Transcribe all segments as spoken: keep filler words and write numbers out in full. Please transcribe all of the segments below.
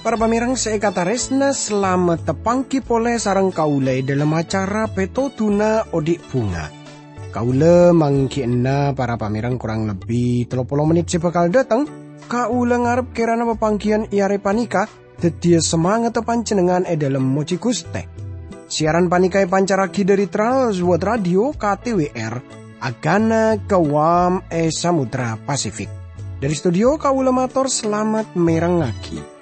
Para pamèrèng sè èkatarèsna, salamet tapangghi polè sareng kaulâ è dhâlem acara Pètodhuna Odi' Bhunga. Kaulâ mangghi'ânna para pamèrèng korang lebbi tello polo mennit sè bhâkal dâteng. Kaulâ ngarep kèrana papangghiyân è arè panèka dhâddhiyâ samangatta panjhennengngan è dhâlem mojhi Ghustè. Siaran panèka èpancarraghi dhâri Trans World Radio K T W R, Agana Guam è Samudra Pasifik. Dhâri studio kaulâ mator salamet mèrengngaghi.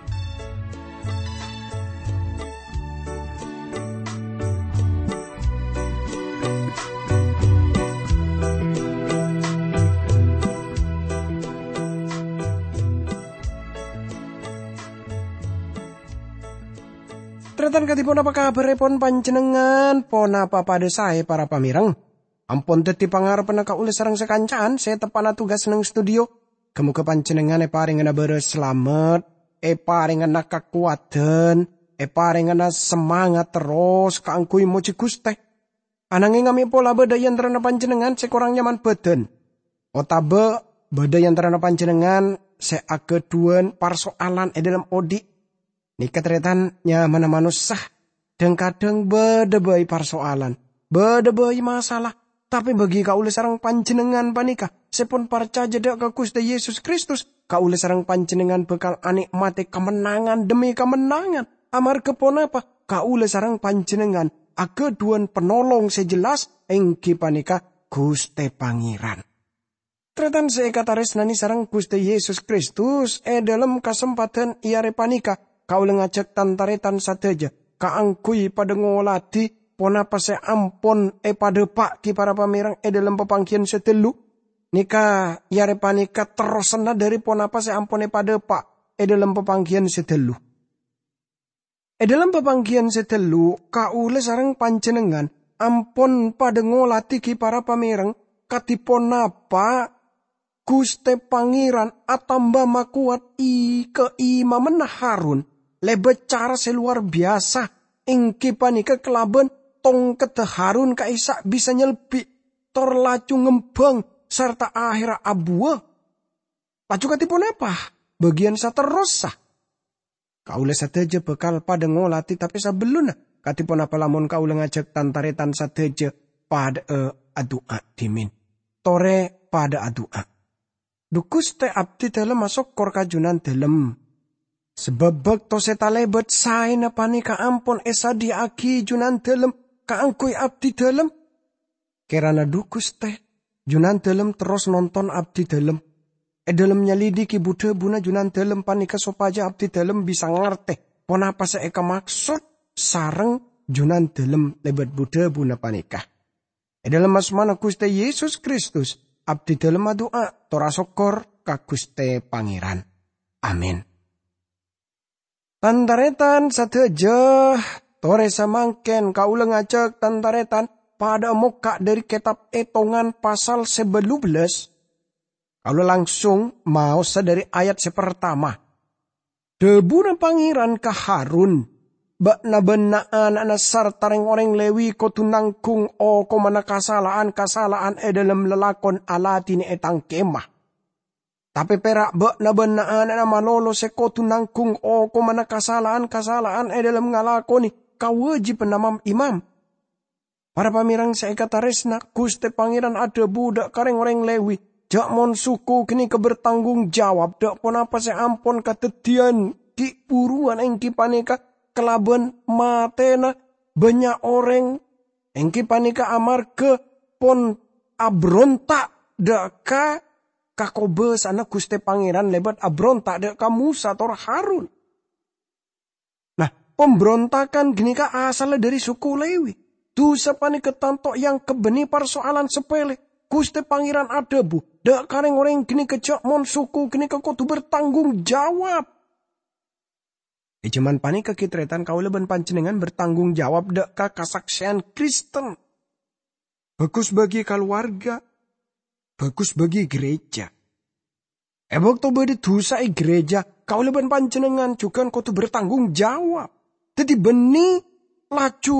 Tarètan kadhi ponapa kabhârrèpon panjhennengngan? Ponapa padâ saè, para pamèrèng? Ampon dhâddhi pangarebbhânna kaulâ sareng sakanca'an sè teppa'na tugas neng studio. Ghâ-mogâ panjhennengngan èparèngana bârâs salamet, èparèngana kakowadhân, èparèngana samangat terros kaangghuy mojhi Ghustè. Ananghing amè' pola bâdâ è antarana panjhennengngan sè korang nyaman bhâdhân, otabâ bâdâ è antarana panjhennengngan sè aghâdhuwân parsoalan è dhâlem odi'. Nèka tarètan nyamana manossa. Dhâng-kadhâng bâdâ bhâi parsoalan, bâdâ bhâi masalah. Tapè bagi kaulâ sareng panjhennengngan panèka sè pon parcajâ dhâ' ka Ghustè Yesus Kristus, kaulâ sareng panjhennengngan bhâkal anè'matè kamennangan dhemmi kamennangan. Amarghâ ponapa? Kaulâ sareng panjhennengngan aghâdhuwân Panolong sè jelas, èngghi panèka Ghustè Pangèran. Tarètan sè èkatarèsnanè sareng Ghustè Yesus Kristus, è dhâlem kasempadhân è arè panèka, kaulâ ngajhâk tan-tarètan sadhâjâ kaangghuy padâ ngoladhi ponapa sè ampon èpadhâpa' ghi para pamèrèng è dhâlem papangghiyân sè dhâllu. Nèka è arè panèka terrossanna dhâri ponapa sè ampon èpadhâpa' è dhâlem papangghiyân sè dhâllu. È dhâlem papangghiyân sè dhâllu, kaulâ sareng panjhennengngan ampon padâ ngoladhi ghi para pamèrèng kadhi ponapa Ghustè Pangèran atamba makowat i-, kaimammanna Harun lèbât cara sè lowar biyasa, èngghi panèka kalabân tongkedda Harun ka'issa' bisa nyelbi', tor laju ngembhâng sarta ahèrra abuwâ. Laju kadhi ponapa bâgiyân saterrossa? Kaulâ sadhâjâ bhâkal padâ ngoladhi, tapè sabellunna, kadhi ponapa lamon kaulâ ngajhâk tan-tarètan sadhâjâ padâ'â adu'a dhimèn? Torè padâ adu'a. Dhu Ghustè, abdhi dhâlem asokkor ka Jhunandhâlem. Sabâb bâkto sè talèbât saèna panèka ampon èsadhiyâ'aghi Jhunandhâlem kaangghuy abdhi dhâlem. Kèrana dhu Ghustè, Jhunandhâlem terros nonton abdhi dhâlem. È dhâlem nyalidhighi bu-dhâbuna Jhunandhâlem panèka sopajâ abdhi dhâlem bisa ngartè ponapa sè èkamaksod sareng Jhunandhâlem lèbât bu-dhâbuna panèka. È dhâlem asmana Ghustè Yesus Kristus, abdhi dhâlem adu'a tor asokkor ka Ghustè Pangèran. Amin. Tan-tarètan sadhâjâ, torè samangkèn kaulâ ngajhâk tan-tarètan padâ'â mokka' dhâri kètab Ètongan pasal sè bâllu bellâs. Kaulâ langsung maosa dhâri ayat sè partama. Dhâbuna Pangèran ka Harun, "Bâ'na bân na'-ana'na sarta rèng-orèng Lèwi kodhu nangghung okomanna kasala'an-kasala'an è dhâlem lalakon aladhinè è Tang Kèma." Tapè pèra' bâ'na bân na'-ana'na malolo sè kodhu nangghung okomanna kasala'an-kasala'an è dhâlem ngalakonè kawâjibhânna mam-imam. Para pamèrèng sè èkatarèsna, Ghustè Pangèran adhâbu dhâ' ka rèng-orèng Lèwi, jhâ' mon suku ghânèka bertanggung jawab dhâ' ponapa sè ampon kadhâddhiyân ghi' bhuruwân, èngghi panèka kalabân matèna bânnya' orèng, èngghi panèka amarghâ pon abronta' dhâ' ka kakobâsa'anna Ghustè Pangèran lèbât abronta' dhâ' ka Mosa tor Harun. Nah, pambrontakan ghânèka asalla dhâri suku Lèwi. Dhusa panèka tanto èangghep bânnè parsoalan sapèlè. Ghustè Pangèran adhâbu dhâ' ka rèng-orèng ghânèka jhâ' mon suku ghânèka kodhu bertanggung jawab. È jhâman panèka ghi' tarètan kaulâ bân panjhennengngan bertanggung jawab dhâ' ka kasaksèyan Kristen. Bhâghus bagi kalowarga, bhâghus bagi gereja. È bâkto bâdâ dhusa è gereja, kaulâ bân panjhennengngan jhughân kodhu bertanggung jawab. Daddi, bânnè laju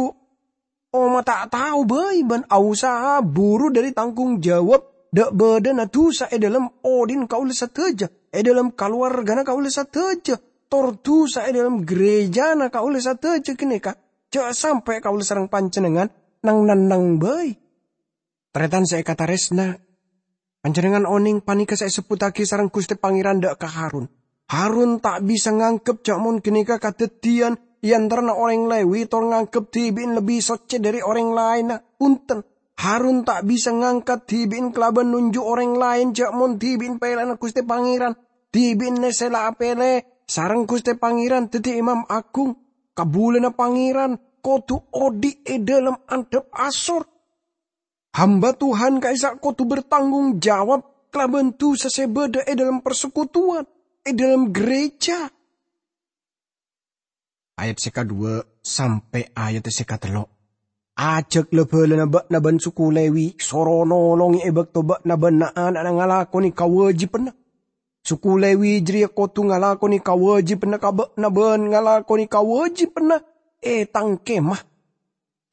omma ta' tao bhâi bân aosaha buru dhâri tanggung jawab dâ' bâdâna dhusa è dhâlem odhi'na kaulâ sadhâjâ, è dhâlem kalowarghâna kaulâ sadhâjâ, tor dhusa è dhâlem ghârèjâna kaulâ sadhâjâ ghânèka, jhâ' sampè' kaulâ sareng panjhennengngan nang-nenneng bhâi. Tarètan sè èkatarèsna, panjhennengngan onèng panèka sè èsebbhuttaghi sareng Ghustè Pangèran dâ' ka Harun. Harun ta' bisa nganggep jhâ' mon ghânèka kadhâddhiyân è antarana orèng Lèwi tor nganggep dhibi'na lebbi soccè dhâri orèng laènna. Bhunten, Harun ta' bisa ngangkat dhibi'na kalabân nonjhu' orèng laèn jhâ' mon dhibi'na pèlèyanna Ghustè Pangèran. Dhibi'na sè la apèlè sareng Ghustè Pangèran dhâddhi Imam Aghung. Kabulâna Pangèran kodhu odhi' è dhâlem andhâp asor. Hamba Tuhan ka'issa' kodhu bertanggung jawab kalabân dhusa sè bâdâ è dhâlem parsekutuwan, è dhâlem ghârèjâ. Ayat sè kadhuwâ' sampè' ayat sè katello'. Ajhâk la-bhâlâna bâ'na bân suku Lèwi soro nolongè è bâkto bâ'na bân na'-ana'na ngalakonè kawâjibhânna. Suku Lèwi jârèya kodhu ngalakonè kawâjibhânna ka bâ'na bân ngalakonè kawâjibhânna è Tang Kemah.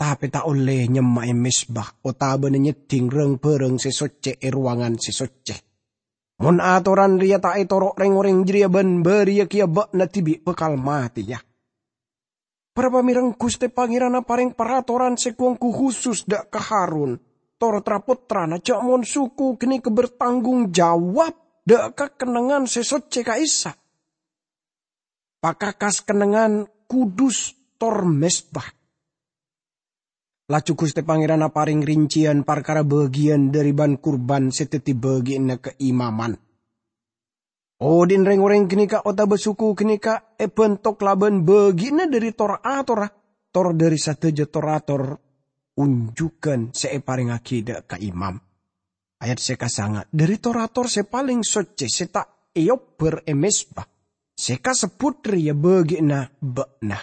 Tapè ta' ollè nyemma'è mezba otabâna nyeddhing rang-bhârâng sè soccè è rowangan sè soccè. Mon atoran rèya ta' ètoro' rèng-orèng jârèya bân bâriyâ kèya bâ'na dhibi' bhâkal matèya. Para pamèreng, Ghustè Pangèran aparèng paratoran sè ghu-ongghu khusus dâ' ka Harun, tor tra-pottrana, jhâ' mon suku ghânèka bertanggung jawab dâ' ka kennengngan sè soccè ka'issa'. Pakakas kennengngan kudus tor mezba. Laju Ghustè Pangèran aparèng rincèyan parkara bâgiyân dhâri bân-kurbân sè dhâddhi bâgiânna kaimaman. Odhi'na rèng-orèng ghânèka otabâ suku ghânèka èbhânto kalabân bâgiânna dhâri tor-atorra, tor dhâri sadhâjâ tor-ator onjhughân sè èparèngaghi dâ' ka imam. Ayat sè kasanga', dhâri tor-ator sè palèng soccè sè ta' èobbhâr è mezba, sè kasebbhut rèya bâgiânna bâ'na.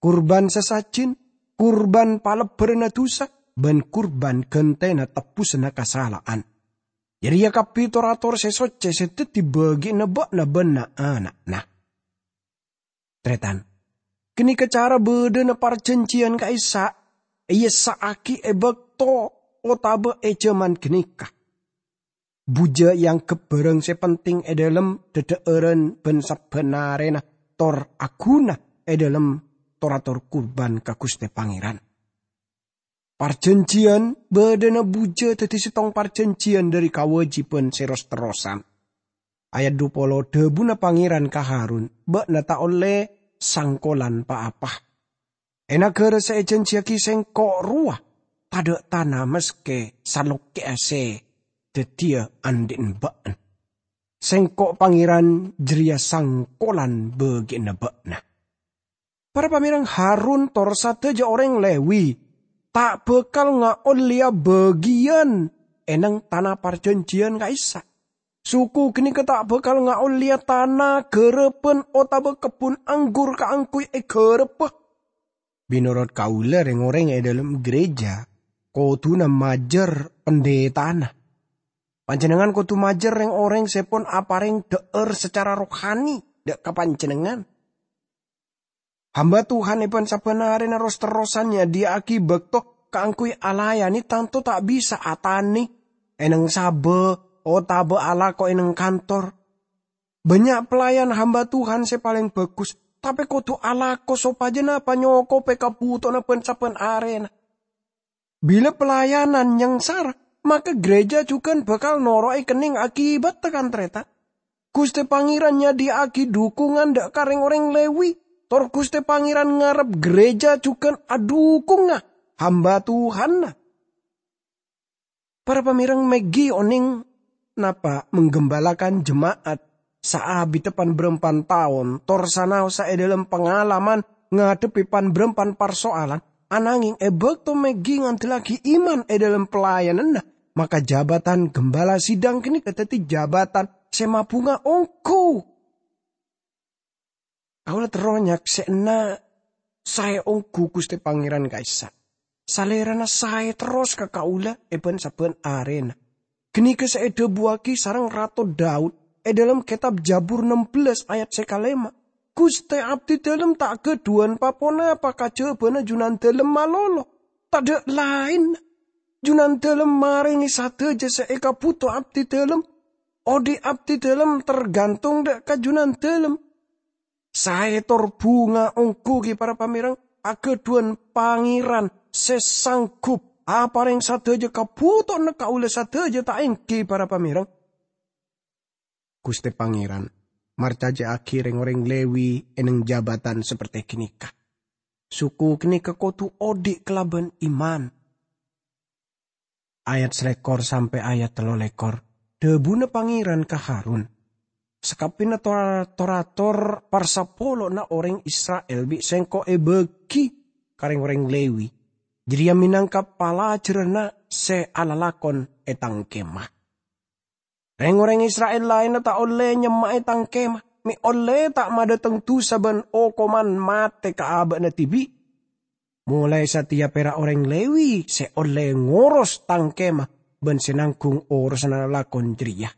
Kurbân sasajin, kurbân palebbhârânna dhusa, bân kurbân ghântèna tebbhusânna kasala'an. Jârèya kabbhi tor-ator sè soccè sè dhâddhi bâgiânna bâ'na bân na'-ana'na. Tarètan, ghânèka cara bâdâna parjhânjhiyân ka'issa' èessa'aghi è bâkto otabâ è jhâman ghânèka. Bujâ èangghep bhârâng sè penting è dhâlem dhâdhâ'ârân bân sabbhân arèna tor aghuna è dhâlem tor-ator kurbân ka Ghustè Pangèran. Parjhânjhiyân bâdâna bujâ dhâddhi sèttong parjhânjhiyân dhâri kawâjibhân sè ros-terrosan. Ayat dhu polo, dhâbuna Pangèran ka Harun, "Bâ'na ta' ollè sangkolan pa-apa. È naghârâ sè èjhânjhiyaghi Sèngko' rowa, tadâ' tana maskè salokkè'a sè dhâddhiyâ andhi'na bâ'na. Sèngko' Pangèran jârèya sangkolan bâgiânna bâ'na." Para pamèreng, Harun tor sadhâjâ orèng Lèwi ta' bhâkal ngaollèya bâgiyân è neng tana parjhânjhiyân ka'issa'. Suku ghânèka ta' bhâkal ngaollèya tana ghârâbhân otabâ kebbhun anggur kaangghuy èghârâbhâ. Mènorot kaulâ, rèng-orèng è dhâlem ghârèjâ kodhuna majâr pandhitana. Panjhennengngan kodhu majâr rèng-orèng sè pon aparèng dhâ'âr sacara rohani dâ' ka panjhennengngan. Hamba Tuhan è bân-sabbhân arèna ros-terrosan nyadhiyâ'aghi bâkto kaangghuy alayanè tanto ta' bisa atanè, è neng sabâ, otabâ alako è neng kantor. Bânnya' pelayan hamba Tuhan sè palèng bhâghus, tapè kodhu alako sopajâna panyokobhi kabhutowanna bân-sabbhân arèna. Bilâ pelayanan nyangsara, maka ghârèjâ jhughân bhâkal noro'è kennèng akibatta, kan-tarètan. Ghustè Pangèran nyadhiyâ'aghi dhukungan dâ' ka rèng-orèng Lèwi, tor Ghustè Pangèran ngarep ghârèjâ jhughân adhukunga hamba Tuhanna. Para pamèreng, Maggie onèng napa' menggembala'aghi jema'at saabidda pan-bârâmpan taon, tor sanaosa è dhâlem pangalaman ngadhebbhi pan-bârâmpan parsoalan, ananghing è bâkto Maggie ngandellaghi iman è dhâlem pelayananna, maka jabatan gembala sidang ghânèka dhâddhi jabatan sè mabhunga ongghu. Kaulâ terro nyaksè'ana saè ongghu Ghustè Pangèran ka'issa'. Salèrana saè terros ka kaulâ è bân-sabbhân arèna. Ghânèka sè èdhâbuwâghi sareng Rato Daud è dhâlem kètab Jabur nem bellâs ayat sè kalèma', Ghustè abdidhâlem ta' ghâdhuwân pa-ponapa kajhâbhâna Junandhâlem malolo. Tadhâ' laènna. Junandhâlem marèngè sadhâjâ sè èkabhuto abdidhâlem. Odi' abdidhâlem targhântong dâ' ka Junandhâlem. Saè tor bhunga ongghu ghi, para pamèreng, aghâdhuwân Pangèran sè sangghup aparèng sadhâjâ kabhutowanna kaulâ sadhâjâ, ta' èngghi, para pamèreng? Ghustè Pangèran marcajâ'aghi rèng-orèng Lewi è neng jabatan sapertè ghânèka. Suku ghânèka kodhu odi' kalabân iman. Ayat salèkor sampè' ayat tello lèkor. Dhâbuna Pangèran ka Harun, "Sakabbhiyânna tor-, tor-ator parsapolona orèng Isra'il bi' Sèngko' èbâghi ka rèng-orèng Lewi. Jârèya mènangka palajhârânna sè alalakon è Tang Kèma. Rèng-orèng Isra'il laènna ta' ollè nyemma'è Tang Kèma, mè' ollè ta' madhâteng dhusa bân okoman matè ka abâ'na dhibi'. Molaè satèya pèra' orèng Lewi sè ollè ngoros Tang Kèma bân sè nangghung orosanna lalakon jârèya.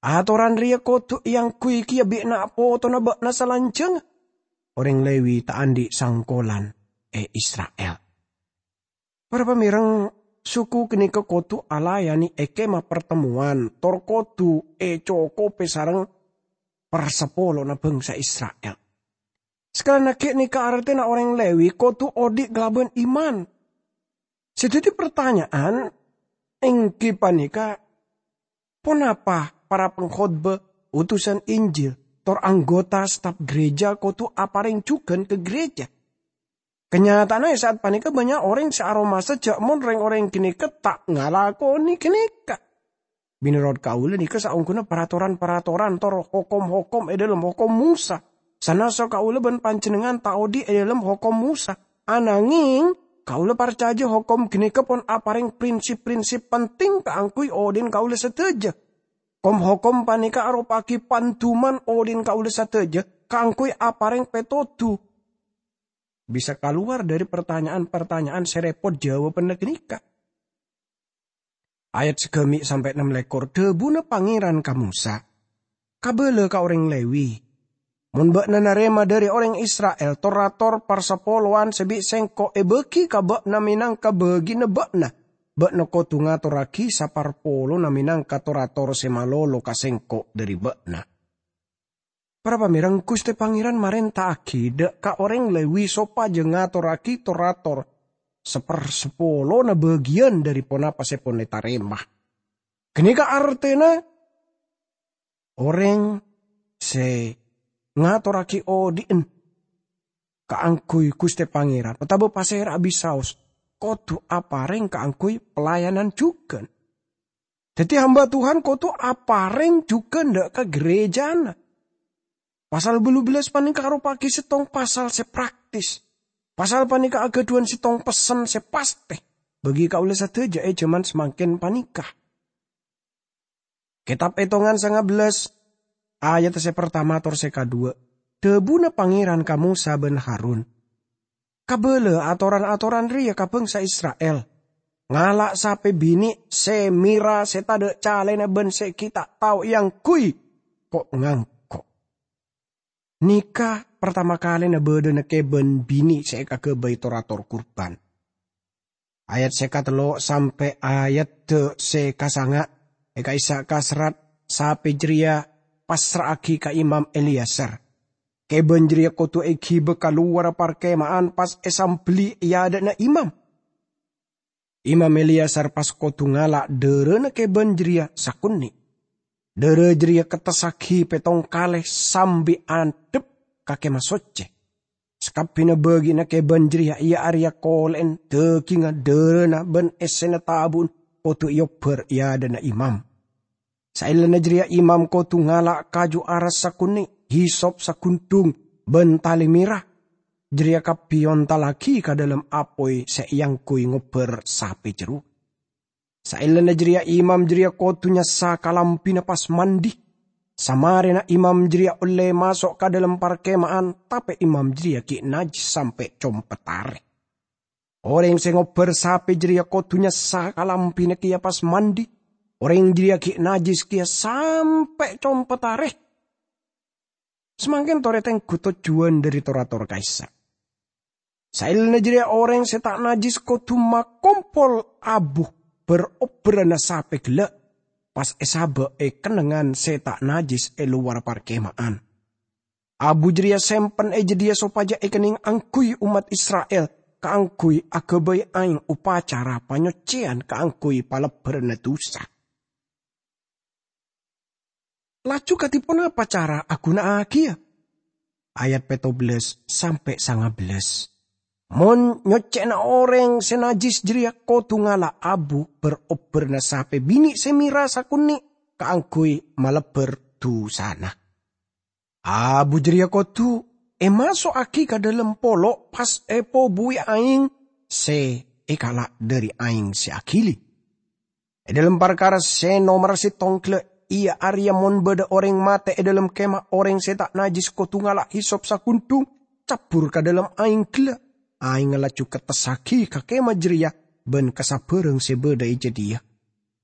Atoran rèya kodhu èangghuy kèya bi' na'-potona bâ'na salanjhângnga. Orèng Lewi ta' andi' sangkolan è Isra'il." Para pamèreng, suku ghânèka kodhu alayanè è Kèma Partemmowan, tor kodhu ècokobhi sareng parsapolona bhângsa Isra'il. Sakalèyan aghi' nèka artèna orèng Lewi kodhu odi' kalabân iman. Sè dhâddhi partanya'an èngghi panèka, ponapa para pangkhotbah, utusan Injil, tor anggota staf gereja kodhu aparèng jhughân ka gereja? Kanyata'anna è sa'at panèka bânnya' orèng sè aromasa jâ' mon rèng-orèng ghânèka ta' ngalakonè ghânèka. Mènorot kaulâ nèka saongghuna paratoran-paratoran tor hokom-hokom è dhâlem Hokom Mosa, sanassa kaulâ bân panjhennengngan ta' odi' è dhâlem Hokom Mosa. Ananghèng, kaulâ parcajâ hokom ghânèka pon aparèng prinsip-prinsip penting kaangghuy odi'na kaulâ sadhâjâ. Kom-hokom panèka aropa'aghi panduman odi'na kaulâ sadhâjâ kaangghuy aparèng pètodhu. Bisa kalowar dhâri partanya'an-partanya'an sè rèpot jâwâbhânna ghânèka. Ayat sagâmè' sampè' nem lèkor, dhâbuna Pangèran ka Mosa, "Kabâlâ ka orèng Lewi, 'Mon bâ'na narèma dhâri orèng Isra'il tor-ator parsapolowan sè bi' Sèngko' èbâghi ka bâ'na mènangka bâgina bâ'na, bâ'na kodhu ngatorraghi saparpolona mènangka tor-ator sè malolo ka Sèngko' dhâri bâ'na.'" Para pamèreng, Ghustè Pangèran marènta'aghi dâ' ka orèng Lewi sopajâ ngatorraghi tor-ator saparsapolona bâgiyân dhâri ponapa sè pon ètarèma. Ghânèka artèna orèng sè ngatorraghi odi'na kaangghuy Ghustè Pangèran otabâ pasèra'a bisaos kodhu aparèng kaangghuy pelayanan jhughân. Dhâddhi, hamba Tuhan kodhu aparèng jhughân dâ' ka gerejana. Pasal bâllu bellâs panèka aropa'aghi sèttong pasal sè praktis. Pasal panèka aghâdhuwân sèttong pessen sè pastè bagi kaulâ sadhâjâ è jhâman samangkèn panèka. Kètab Ètongan sanga bellâs, ayat sè partama tor sè kadhuwâ'. Dhâbuna Pangèran ka Mosa bân Harun, "Kabâlâ atoran-atoran rèya ka bhângsa Isra'il. Ngala' sapè binè' sè mèra sè tadâ' calèna bân sè ghi' ta' tao èangghuy ko'-ngangko'." Nèka partama kalèna bâdâna kèbân binè' sè èkaghâbây tor-ator kurban. Ayat sè katello' sampè' ayat sè kasanga', è ka'issa' kaserrat sapè jârèya passra'aghi ka Imam Eleazar. Kèbân jârèya kodhu èghibâ ka lowarra parkèma'an pas èsambelli è adâ'na imam. Imam Eleazar pas kodhu ngala' dârâna kèbân jârèya sakonè'. Dârâ jârèya kettessaghi pèttong kalè sambi andhep ka Kèma Soccè. Sakabbhiyânna bâgi'na kèbân jârèya, iyâ arèya kolè'en, dâgingnga, dârâna, bân èssèna tabu'na kodhu èobbhâr è adâ'na imam. Saellana jârèya imam kodhu ngala' kaju aras sakonè', hisop sagundhung, bân talè mèra. Jârèya kabbhi èontallaghi ka dâlem apoy sè èangghuy ngobbhâr sapè jerro. Saellana jârèya imam jârèya kodhu nyassa kalambhina pas mandi. Samarèna imam jârèya ollè maso' ka dâlem parkèma'an, tapè imam jârèya ghi' najjhis sampè' compet arè. Orèng sè ngobbhâr sapè jârèya kodhu nyassa kalambhina kèya pas mandi. Orèng jârèya ghi' najjhis kèya sampè' compet arè. Samangkèn torè tengghu tojjhuwân dhâri tor-ator ka'issa'. Saellana jârèya orèng sè ta' najjhis kodhu makompol abu bher-obherrâna sapè ghellâ', pas èsabâ' è kennengngan sè ta' najjhis è lowar parkema'an. Abu jârèya sèmpen è jâdiyâ sopajâ èkennèng angghuy ommat Isra'il kaangghuy aghâbây aèng opacara panyoccèyan kaangghuy palebbhârânna dhusa. Laju kadhi ponapa cara aghuna'aghiyâ? Ayat pètto bellâs sampè' sanga bellâs. Mon nyoccè'na orèng sè najjhis jârèya kodhu ngala' abu bher-obherrâna sapè binè' sè mèra sakonè' kaangghuy malebbhâr dhusana. Abu jârèya kodhu èmaso'aghi ka dâlem polo' pas èpobuwi aèng sè èkala' dhâri aèng sè aghili. È dâlem parkara sè nomer sèttong ghellâ', iyâ arèya mon bâdâ orèng matè è dâlem kemah orèng sè ta' najjhis kodhu ngala' hisop saghundhung, cabbhur ka dâlem aèng ghellâ'. Aèngnga laju kettessaghi ka kemah jârèya bân ka sabârâng sè bâdâ è jâdiyâ.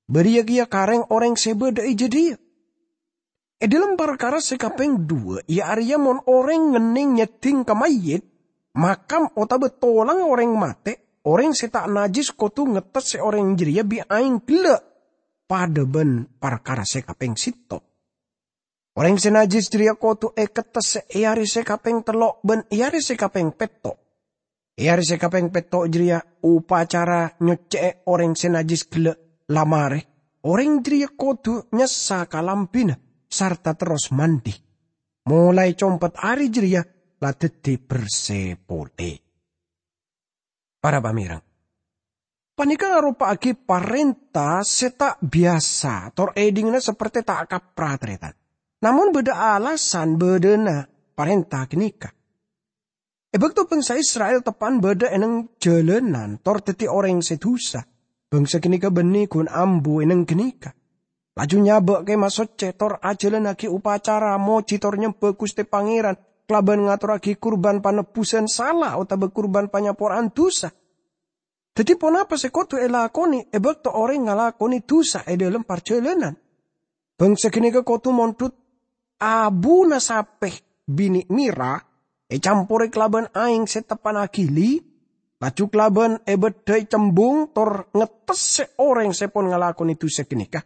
Bâriyâ kèya ka rèng-orèng sè bâdâ è jâdiyâ. È dâlem parkara sè kapèng dhuwâ', iyâ arèya mon orèng ngennèng nyèddhing ka mayyit, makam otabâ tolang orèng matè, orèng sè ta' najjhis kodhu ngettessè orèng jârèya bi' aèng ghellâ', padâ bân parkara sè kapèng sèttong. Orèng sè najjhis jârèya kodhu èkettessè è arè sè kapèng tello' bân è arè sè kapèng pètto'. È arè sè kapèng pètto' jârèya opacara nyoccè'è orèng sè najjhis ghellâ' la marè. Orèng jârèya kodhu nyassa kalambhina sarta terros mandi. Molaè compet arè jârèya la dhâddhi bersè polè. Para pamèreng, panèka aropa'aghi parènta sè ta' biyasa, tor èdingngana saperte ta' kapra, tarètan. Namong bâdâ alasan bâdâna parènta ghânèka. È bâkto bangsa Isra'il teppa'an bâdâ è neng jhâlânan tor dhâddhi orèng sè dhusa, bangsa ghânèka bânnè ghun ambu è neng ghânèka. Laju nyabâ' Kemah Soccè tor ajhâlânnaghi opacara mojhi tor nyembâ Ghustè Pangèran kalabân ngatorraghi kurban panebbusan sala otabâ kurban panyapora'an dhusa. Dhâddhi, ponapa sè kodhu èlakonè è bâkto orèng ngalakonè dhusa è dâlem parjhâlânan? Bangsa ghânèka kodhu mondhut abuna sapè binè' mèra ècamporè kalabân aèng sè teppa'na aghili, laju kalabân èbâddhâi cembung tor ngettessè orèng sè pon ngalakonè dhusa ghânèka.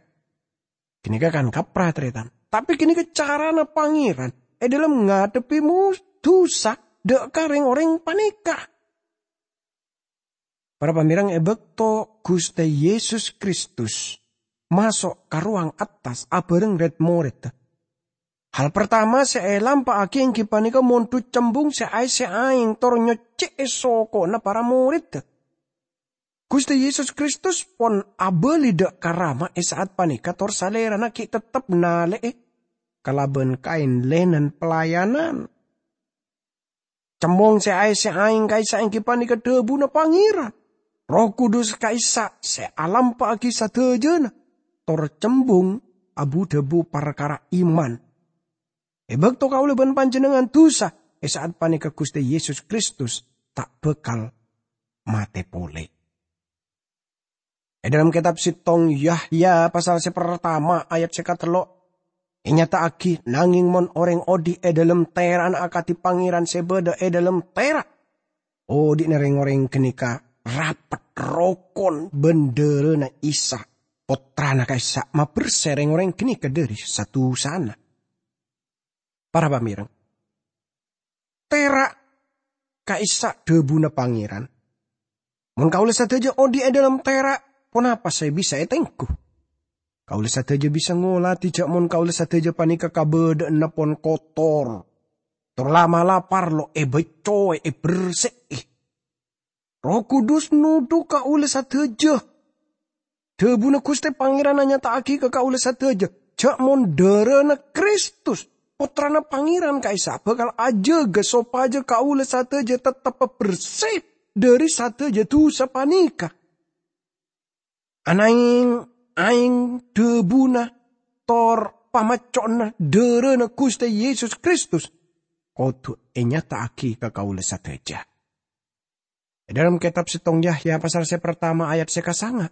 Ghânèka kan kapra, tarètan. Tapè ghânèka carana Pangèran è dâlem ngadhebbhi mu-, dhusa dâ' ka rèng-orèng panèka. Para pamèreng, è bâkto Ghustè Yesus Kristus maso' ka rowang attas abhâreng rèd-morèdda, hal partama sè èlampa'aghi èngghi panèka mondhut cembung sè aèssè aèng tor nyoccè'è soko'na para morèdda. Ghustè Yesus Kristus pon abâli dâ' ka Rama è sa'at panèka tor Salèrana ghi' teptep nalè'è kalabân kaèn lènen pelayanan. Cembung sè aèssè aèng ka'issa' èngghi panèka dhâbuna Pangèran. Erroh Kudus ka'issa' sè alampa'aghi sadhâjâna, tor cembung abu-dhâbu parkara iman. È bâkto kaulâ bân panjhennengngan dhusa, è sa'at panèka Ghustè Yesus Kristus ta' bhâkal matè polè. È dâlem kètab sèttong Yahya pasal sè partama ayat sè katello', ènyata'aghi, nangèng mon orèng odi' è dâlem tèra'na akadhi Pangèran sè bâdâ è dâlem tèra', odi'na rèng-orèng ghânèka rapet rokon bân dârâna Isa, Pottrana ka'issa', mabersè rèng-orèng ghânèka dhâri sa-dhusana. Para pamèreng, tèra' ka'issa' dhâbuna Pangèran. Mon kaulâ sadhâjâ odi' è dâlem tèra', ponapa sè bisa ètengghu? Kaulâ sadhâjâ bisa ngolatè jâ' mon kaulâ sadhâjâ panèka kabâdâ'ânna pon kotor, tor la'-mala' parlo èbâccoè, èbersè'è. Erroh Kudus nodhu kaulâ sadhâjâ. Dhâbuna Ghustè Pangèran anyata'aghi ka kaulâ sadhâjâ, jâ' mon dârâna Kristus, Pottrana Pangèran ka'issa', bhâkal ajâgâ sopajâ kaulâ sadhâjâ teptebbhâ bersè dhâri sadhâjâ dhusa panèka. Anangèng aèng dhâbuna tor pamacco'na dârâna Ghustè Yesus Kristus kodhu ènyata'aghi ka kaulâ sadhâjâ. È dâlem kètab sèttong Yahya pasal sè partama ayat sè kasanga,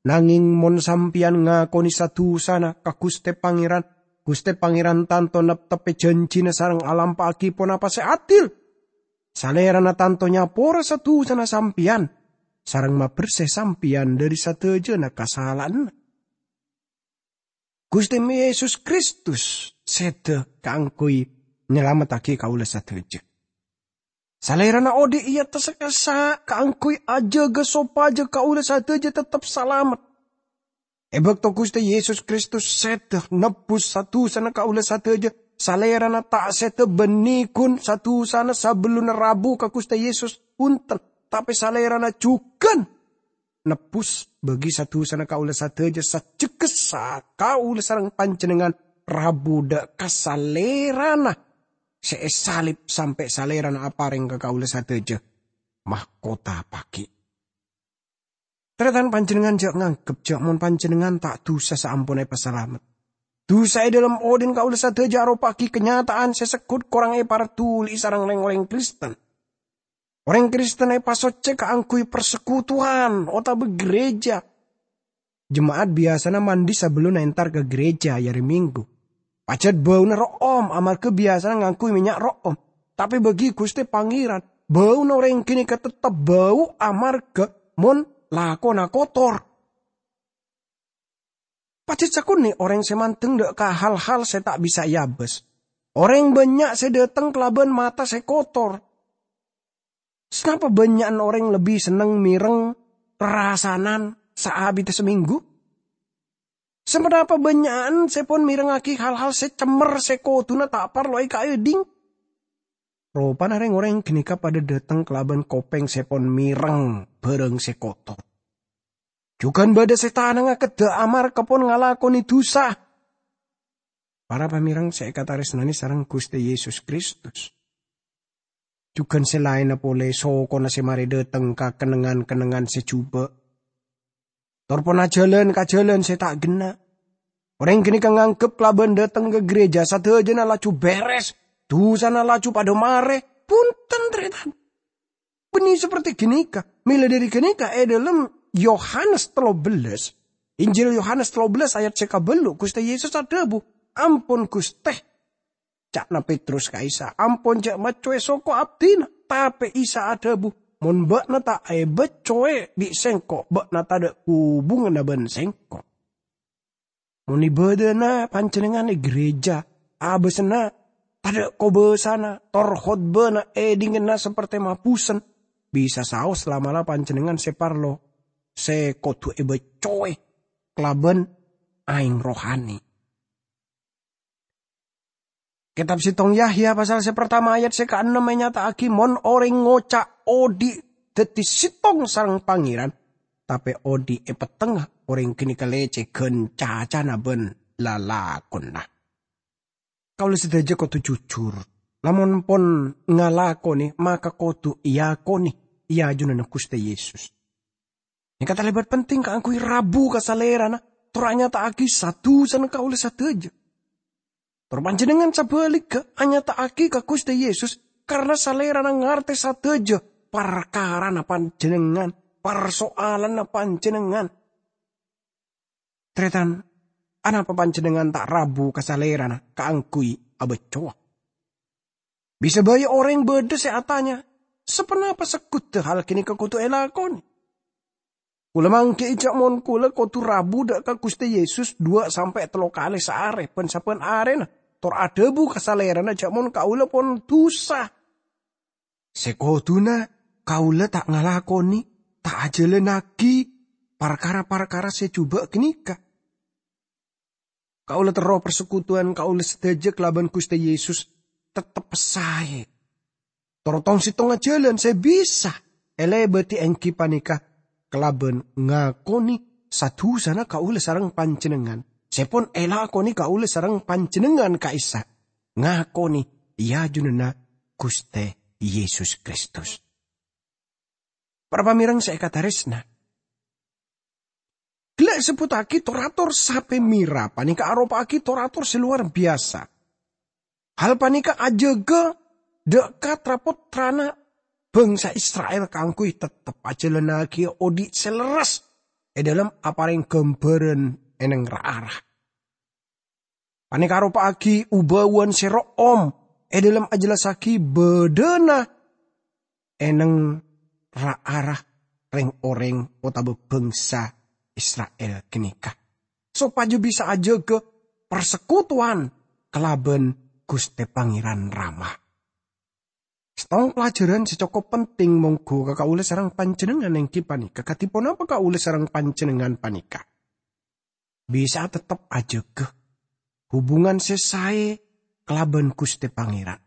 "Nangèng mon sampèyan ngakonè sa-dhusana ka Ghustè Pangèran, Ghustè Pangèran tanto neptebbhi jhânjhina sareng alampa'aghi ponapa sè adil. Salèrana tanto nyapora sa-dusana sampèyan, sareng mabersè sampèyan dhâri sadhâjâna kasala'anna. Ghustè Yesus Kristus sèdhâ kaangghuy nyalamettaghi kaulâ sadhâjâ. Salèrana odi' è attas kassa' kaangghuy ajâgâ sopajâ kaulâ sadhâjâ teptep salamet. È bâkto Ghustè Yesus Kristus sèdhâ nebbhus sa-dusana kaulâ sadhâjâ, Salèrana ta' sèdhâ bânnè ghun sa-dusana sabellunna rabu ka Ghustè Yesus, bhunten, tapè Salèrana jhughân nebbhus bâgi sa-dusana kaulâ sadhâjâ sajjhegghâ sa kaulâ sareng panjhennengngan rabu dâ' ka Salèrana sè èsalib sampè' Salèrana aparèng ka kaulâ sadhâjâ mahkota paghi'. Tarètan, panjhennengngan jhâ' nganggep jhâ' mon panjhennengngan ta' dusa saamponna èpasalamet. Dusa è dhâlem odi'na kaulâ sadhâjâ aropa'aghi kanyata'an sè segghut korang èparduli'i sareng rèng-orèng Kristen. Orèng Kristen èpasoccè kaangghuy parsekutuwan otabâ gereja. Jema'at biyasana mandi sabellunna entar ka gereja è arè Minggu. Pajhât bâuna ro'om amarghâ biyasana ngangghuy mènnya' ro'om. Tapè bâgi Ghustè Pangèran, bâuna orèng ghânèka teptep bâu amarghâ mon lakona kotor. Pajhât sakonè' orèng sè mandeng dâ' ka hal-hal sè ta' bisa èabâs. Orèng bânnya' sè dâteng kalabân mata sè kotor. Sanapa bânnya'an orèng lebbi senneng mèreng rarasanan saabidda samènggu? Saponapa bânnya'an sè pon mèrengngaghi hal-hal sè cemmer sè koduna ta' parlo èkaèdhing? Ropana rèng-orèng ghânèka padâ dâteng kalabân kopèng sè pon mèreng bhârâng sè kotor. Jhughân bâdâ sè tanangnga keddhâ' amarghâ pon ngalakonè dusa. Para pamèreng sè èkatarèsnanè sareng Ghustè Yesus Kristus. Jhughân sè laènna polè sokona sè marè dâteng ka kennengngan-kennengngan sè jhubâ'. Tor pon ajhâlân ka jhâlân sè ta' ghenna'. Orèng ghânèka nganggep kalabân dâteng ka gereja sadhâjâna laju bèrès, dusana laju padâ marè. Bhunten, tarètan. Bânnè saperti ghânèka. Mèla dhâri ghânèka è dhâlem Yohanes tello bellâs, Injil Yohanes tello bellâs ayat sè kabâllu', Ghustè Yesus adhâbu, "Ampon, Ghustè," ca'na Petrus ka Isa, "ampon jhâ' maccowè soko abdhina." Tapè Isa adhâbu, "Mon bâ'na ta' èbaccowè bi' Sèngko', bâ'na tadâ' hubunganna bân Sèngko'." Mon ibâdâna panjhennengngan è gereja, abâsanna tadâ' kobâsana, tor khotbana èdhinggâna saperti mabusen, bisa saos la'-mala' panjhennengngan sè parlo, sè kodhu èbaccowè kalabân aèng rohani. Kètab Sèttong Yahya pasal sè partama ayat sè kaennem ènyata'aghi mon orèng ngoca' odi' dhâddhi sèttong sareng Pangèran, tapè odi' è pettengnga orèng ghânèka lècèghân cacana bân lalakonna. Kaulâ sadhâjâ kodhu jujur. Lamon pon ngalakonè, maka kodhu èakonè è ajunanna Ghustè Yesus. Nèka talèbât penting kaangghuy rabu ka Salèrana, tor anyata'aghi sa-dusana kaulâ sadhâjâ. Tor panjhennengngan sabhâligghâ anyata'aghi ka Ghustè Yesus, karna Salèrana ngartè sadhâjâ parkarana panjhennengngan, parsoalanna panjhennengngan. Tarètan, anapa panjhennengngan ta' rabu ka Salèrana kaangghuy abâccowa? Bisa bhâi orèng bâdâ sè atanya, "Saponapa segghudhâ hal ghânèka kodhu èlakonè?" Kaulâ mangghi'i jhâ' mon kaulâ kodhu rabu dâ' ka Ghustè Yesus duwâ' sampè' tello kalè saarè, bân sabbhân arèna, tor adhâbu ka Salèrana jhâ' mon kaulâ pon dusa. Sè kodhuna kaulâ ta' ngalakonè, ta' ajhâlânnaghi parkara-parkara sè jhubâ' ghânèka. Kaulâ terro parsekutuwan kaulâ sadhâjâ kalabân Ghustè Yesus teptep saè. Tor tong-sèttongnga jhâlân sè bisa èlèbâdhi èngghi panèka kalabân ngakonè sa-dusana kaulâ sareng panjhennengngan, sè pon èlakonè kaulâ sareng panjhennengngan ka'issa', ngakonè è ajunanna Ghustè Yesus Kristus. Para pamèreng sè èkatarèsna, ghellâ' èsebbhuttaghi tor-ator sapè mèra panèka aropa'aghi tor-ator sè lowar biyasa. Hal panèka ajâgâ dâ' ka tra-pottrana bhângsa Isra'il kaangghuy teptep ajhâlânnaghi odi' sè lerres è dhâlem aparèng ghâmbhârân è neng ra-ara. Panèka aropa'aghi ubâwan sè ro'om è dhâlem ajhellassaghi bâdâna è neng ra-ara rèng-orèng otabâ bhângsa Isra'il ghânèka, sopajâ bisa ajâgâ parsekutuwan kalabân Ghustè Pangèran Rama. Sèttong pelajaran sè cokop penting mongghu ka kaulâ sareng panjhennengngan èngghi panèka, kadhi ponapa kaulâ sareng panjhennengngan panèka bisa tettep ajâgâ hubungan sè saè kalabân Ghustè Pangèran.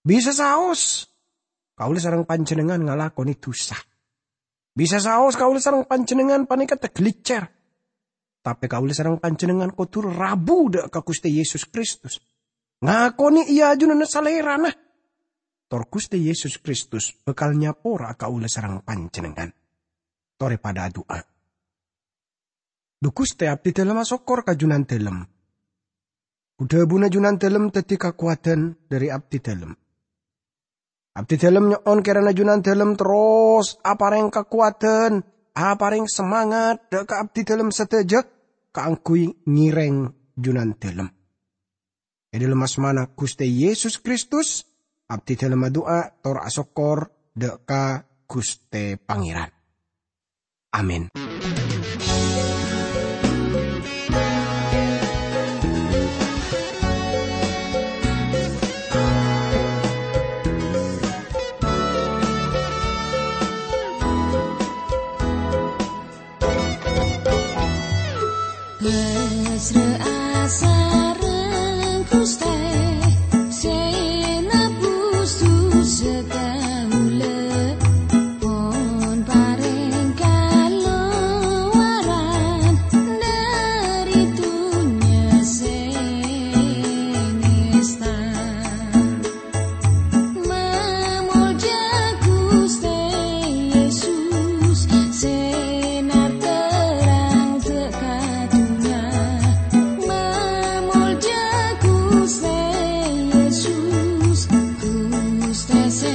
Bisa saos kaulâ sareng panjhennengngan ngalakonè dhusa. Bisa saos kaulâ sareng panjhennengngan panèka taghâliccèr. Tapè kaulâ sareng panjhennengngan kodhu rabu dâ' ka Ghustè Yesus Kristus. Ngakonè è ajunanna Salèrana. Tor Ghustè Yesus Kristus bhâkal nyapora'a kaulâ sareng panjhennengngan. Torè padâ adu'a. Dhu Ghustè, abdhidhâlem asokkor ka Junandhâlem. Dhu-dhâbuna Junandhâlem dhâddhi kakowadhân dhâri abdhidhâlem. Abdhidhâlem nyo'on kèrana Junandhâlem terros aparèng kakowadhân, aparèng semangat dâ' ka abdhidhâlem sadhâjâ kaangghuy ngèrèng Junandhâlem. È dhâlem asmana Ghustè Yesus Kristus, abdhidhâlem adu'a tor asokkor dâ' ka Ghustè Pangèran. Amin. Pasra'a sareng Ghustè sè nebus dhusa kaulâ, pon parèng kalowaran dhâri dhunnya sè ngèsta. Mamolja Ghustè Yesus sè narterrang dâ' ka dhunnya. Mamolja Ghustè Yesus, Ghustè sè